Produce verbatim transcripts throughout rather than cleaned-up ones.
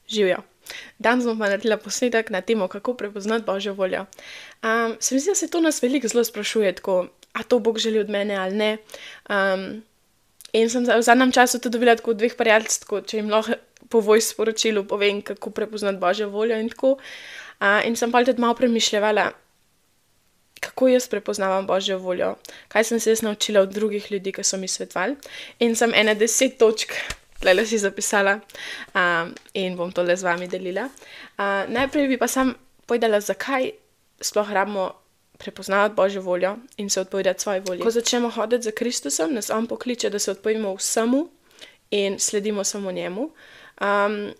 Živijo. Danes bom pa naredila posnetek na temo, kako prepoznati Božjo voljo. Um, se mi zdi, da se to nas veliko zelo sprašuje, tako, a to Bog želi od mene ali ne. Um, in sem v zadnjem času tudi dobila tako dveh prijateljstv, če jim lahko po voice sporočilu povem, kako prepoznati Božjo voljo in tako. Uh, in sem pa tudi malo premišljala, kako jaz prepoznavam Božjo voljo, kaj sem se jaz naučila od drugih ljudi, ki so mi svetovali. In sem ene deset točk tule si zapisala um, in bom tole z vami delila. Uh, najprej bi pa sam povedala, zakaj sploh rabimo prepoznavati Božjo voljo in se odpovedati svoji volji. Ko začnemo hoditi za Kristusom, nas on pokliče, da se odpovemo vsemu in sledimo samo njemu. Um,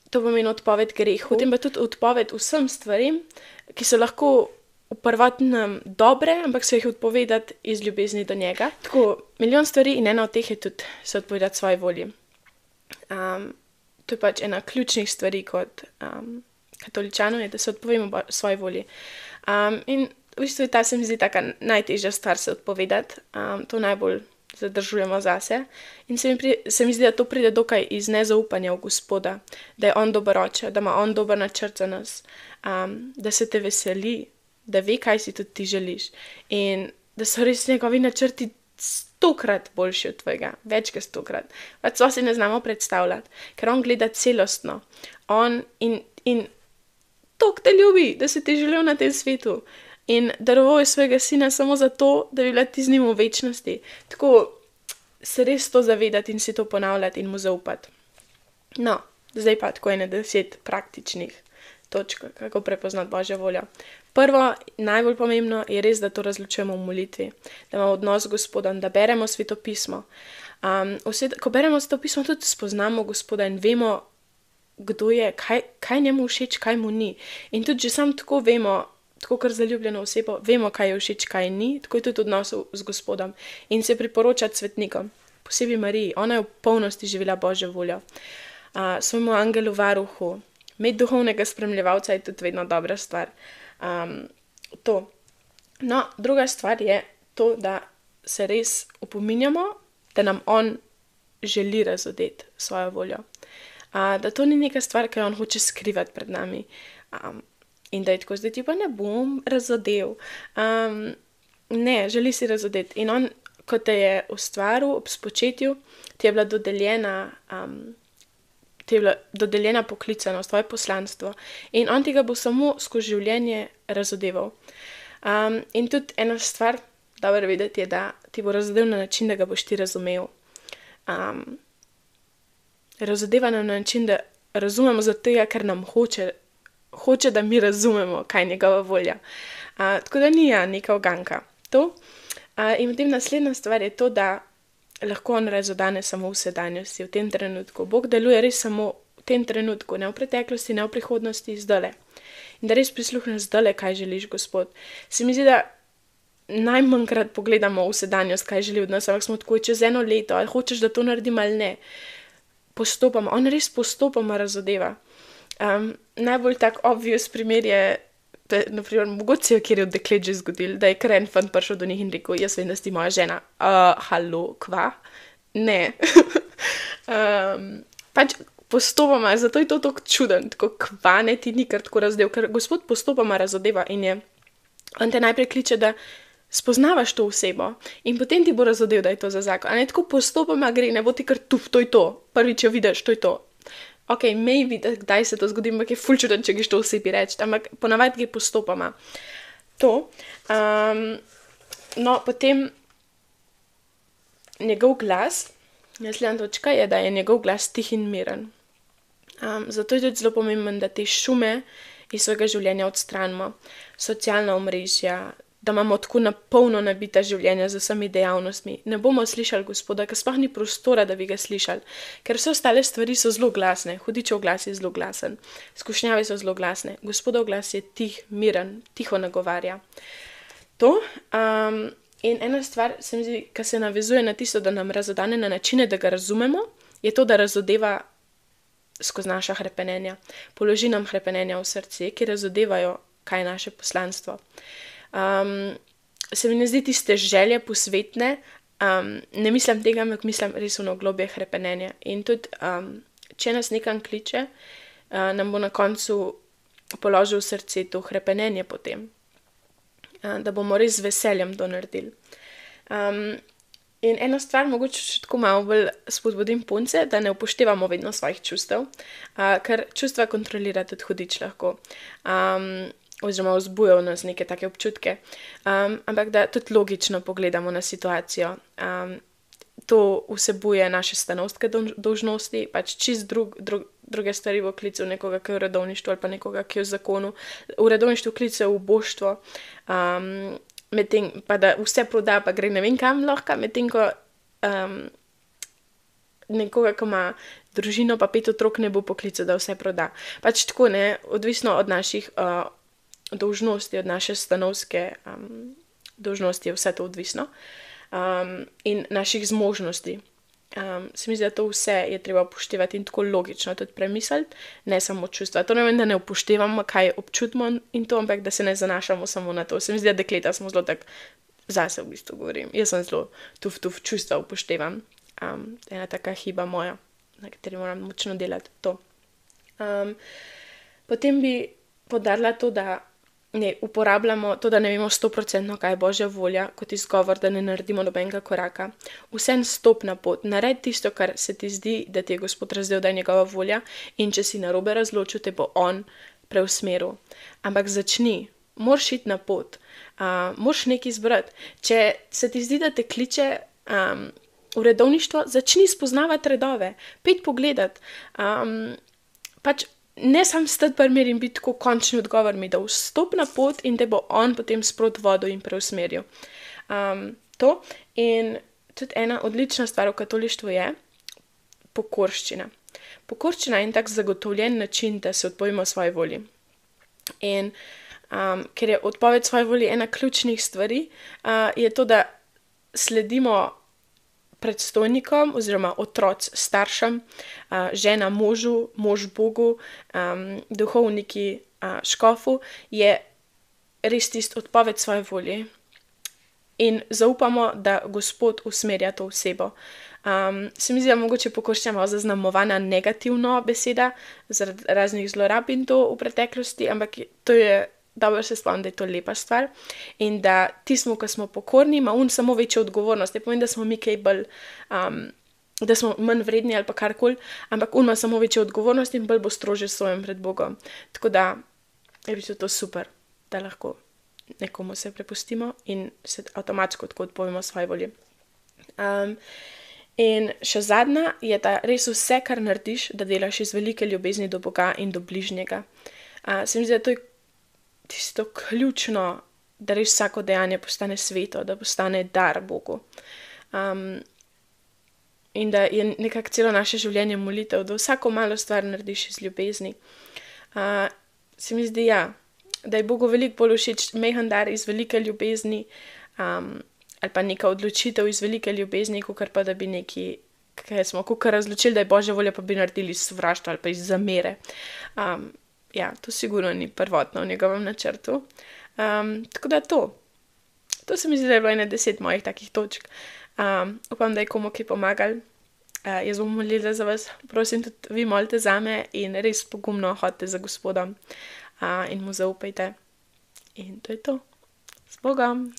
to pomeni odpoved grehu, potem pa tudi odpoved vsem stvarim, ki so lahko v prvotnem dobre, ampak se jih odpovedati iz ljubezni do njega. Tako, milijon stvari in ena od teh je tudi se odpovedati svoji volji. Um, to je pač ena ključnih stvari kot um, katoličanov, je, da se odpovemo svoji volji. Um, in v bistvu ta se mi zdi taka najtežja stvar se odpovedati. Um, to najbolj zadržujemo zase. In se mi, pri, se mi zdi, da to pride dokaj iz nezaupanja v Gospoda, da je on dober oče, da ima on dober načrt za nas, um, da se te veseli, da ve, kaj si tudi ti želiš. In da so res njegovi načrti stokrat boljši od tvojega, več kot stokrat. Pač to si ne znamo predstavljati, ker on gleda celostno. On in, in tok te ljubi, da se ti želel na tem svetu. In daroval je svojega sina samo zato, da bi bila ti z njim v večnosti. Tako se res to zavedati in si to ponavljati in mu zaupati. No, zdaj pa tako ene deset praktičnih točk, kako prepoznati Božjo voljo. Prvo, najbolj pomembno je res, da to razločujemo v molitvi, da imamo odnos z Gospodom, da beremo Sveto pismo. Um, vse, ko beremo Sveto pismo, tudi spoznamo Gospoda in vemo, kdo je, kaj, kaj njemu všeč, kaj mu ni. In tudi že sam tako vemo, tako kar zaljubljeno osebo, vemo, kaj je všeč, kaj ni, tako je tudi odnos z Gospodom. In se priporočati svetnikom, posebej Mariji, ona je v polnosti živela Božjo voljo. Uh, svojemu angelu varuhu, imeti duhovnega spremljevalca je tudi vedno dobra stvar. Um, to. No, druga stvar je to, da se res opominjamo, da nam on želi razodeti svojo voljo. Uh, da to ni neka stvar, ki jo on hoče skrivati pred nami. Um, in da je tako, zdaj ti pa ne bom razodel. Um, ne, želi si razodeti. In on, ko te je ustvaril ob spočetju, ti je bila dodeljena um, ti je bila dodeljena poklicanost, tvoje poslanstvo. In on tega bo samo skozi življenje razodeval. Um, in tudi ena stvar, dobro vedeti, je, da ti bo razodel na način, da ga boš ti razumel. Um, razodeva nam na način, da razumemo zato, ker nam hoče, hoče, da mi razumemo, kaj je njegova volja. Uh, tako da ni ja, neka uganka. To. Uh, in potem naslednja stvar je to, da lahko on razodane samo v sedanjosti, v tem trenutku. Bog deluje res samo v tem trenutku, ne v preteklosti, ne v prihodnosti, zdajle. In da res prisluhneš zdajle, kaj želiš, Gospod. Se mi zdi, da najmanjkrat pogledamo v sedanjost, kaj želi od nas, ampak smo tako čez eno leto, ali hočeš, da to naredim ali ne. Postopoma, on res postopoma razodeva. Um, najbolj tak obvious primer je, da je, naprimer, mogoče kjer je od deklet že zgodil, da je kar en fant prišel do njih in rekel, jaz vem, da si moja žena. Uh, halo, kva? Ne. um, pač postopoma, zato je to tako čuden, tako kva, ne, ti ni kar tako razdev, ker Gospod postopoma razodeva in je, on te najprej kliče, da spoznavaš to osebo in potem ti bo razodev, da je to za zakon. A ne, tako postopoma gre, ne bo ti kar tuf, to je to. Prvič jo vidiš, to je to. Ok, maybe, da kdaj se to zgodi, ampak je ful čuden, če greš to osebi reči, ampak ponavadi gre postopoma. To. Um, no, potem njegov glas, naslednja točka je, da je njegov glas tih in miren. Um, zato je tudi zelo pomemben, da te šume iz svojega življenja odstranimo, socialna omrežja, da imamo tako napolno nabita življenja z vsemi dejavnostmi. Ne bomo slišali Gospoda, ker sploh ni prostora, da bi ga slišali. Ker vse ostale stvari so zelo glasne. Hudičev glas je zelo glasen. Skušnjave so zelo glasne. Gospodov glas je tih, miren, tiho nagovarja. To. Um, in ena stvar, se mi zdi, ki se navezuje na tisto, da nam razodane na načine, da ga razumemo, je to, da razodeva skozi naša hrepenenja. Položi nam hrepenenja v srce, ki razodevajo, kaj je naše poslanstvo. Um, se mi ne zdi tiste želje posvetne, um, ne mislim tega, ampak mislim res ono globje hrepenenja. In tudi, um, če nas nekam kliče, uh, nam bo na koncu položil v srce to hrepenenje potem, uh, da bomo res z veseljem to naredili. Um, in ena stvar, mogoče še tako malo bolj spodbudim punce, da ne upoštevamo vedno svojih čustev, uh, ker čustva kontrolira tudi hudič lahko. Um, oziroma vzbujajo v nas neke take občutke, um, ampak da tudi logično pogledamo na situacijo. Um, to vsebuje naše stanovske dolžnosti, pač čist drug, drug, druge stvari v klicu nekoga, ki je v redovništvu ali pa nekoga, ki je v zakonu. V redovništvu klice v boštvo, um, medtem pa da vse proda, pa gre ne vem kam lahko, medtem ko um, nekoga, ki ima družino pa pet otrok, ne bo poklical, da vse proda. Pač tako, ne, odvisno od naših uh, dolžnosti, od naše stanovske um, dolžnosti je vse to odvisno um, in naših zmožnosti. Um, se mi zdi, da to vse je treba upoštevati in tako logično tudi premisliti, ne samo čustva. To ne vem, da ne upoštevamo, kaj občutimo in to, ampak da se ne zanašamo samo na to. Se mi zdi, da dekleta smo zelo tako, zase v bistvu govorim, jaz sem zelo tuf, tuf, čustva upoštevam. Um, ena taka hiba moja, na kateri moram močno delati to. Um, potem bi podarila to, da ne uporabljamo to, da ne vemo sto procentno, kaj je Božja volja, kot izgovor, da ne naredimo nobenega koraka. Vsem stop na pot, naredi tisto, kar se ti zdi, da ti je Gospod razdel, da je njegova volja, in če si narobe razločil, te bo on preusmeril. Ampak začni, moraš iti na pot, uh, moraš nekaj izbrati. Če se ti zdi, da te kliče um, v redovništvo, začni spoznavati redove, pet pogledati, um, pač ne sam stati pri mir in biti tako končni odgovor mi, da vstop na pot in te bo on potem sprot vodil in preusmeril. Um, to in tudi ena odlična stvar v katolištvu je pokorščina. Pokorščina je en tak zagotovljen način, da se odpovemo svoji volji. In um, ker je odpoved svoji volji ena ključnih stvari, uh, je to, da sledimo predstojnikom oziroma otroc staršem, uh, žena možu, mož Bogu, um, duhovniki uh, škofu, je res tisti odpoved svoje volje in zaupamo, da Gospod usmerja to osebo. Um, se mi zdi, da mogoče pokorščina malo zaznamovana negativno beseda zaradi raznih zlorab in to v preteklosti, ampak to je dobro se spomnim, da je to lepa stvar in da tismo, ko smo pokorni, ima on samo večjo odgovornost. Ne pomeni, da smo mi kaj bolj, um, da smo manj vredni ali pa karkoli, ampak on ima samo večjo odgovornost in bolj bo strožje sojen pred Bogom. Tako da je bilo to super, da lahko nekomu se prepustimo in se avtomatsko tako odpovemo svoje volje. Um, in še zadnja je, da res vse, kar narediš, da delaš iz velike ljubezni do Boga in do bližnjega. Uh, se mi zdi, da to je tisto ključno, da res vsako dejanje postane sveto, da postane dar Bogu. Um, in da je nekako celo naše življenje molitev, da vsako malo stvar narediš iz ljubezni. Uh, se mi zdi, ja, da je Bogu veliko bolj všeč mehen dar iz velike ljubezni, um, ali pa neka odločitev iz velike ljubezni, kakor pa da bi neki, kaj smo, kakor razločili, da je Božja volja, pa bi naredili iz sovraštva ali pa iz zamere. Um, Ja, to sigurno ni prvotno v njegovem načrtu. Um, tako da to. To se mi zdi, da je bilo ene deset mojih takih točk. Um, upam, da je komu kaj pomagal. Uh, jaz bom molila za vas. Prosim, tudi vi molite zame in res pogumno hodite za Gospodom uh, in mu zaupajte. In to je to. S Bogom!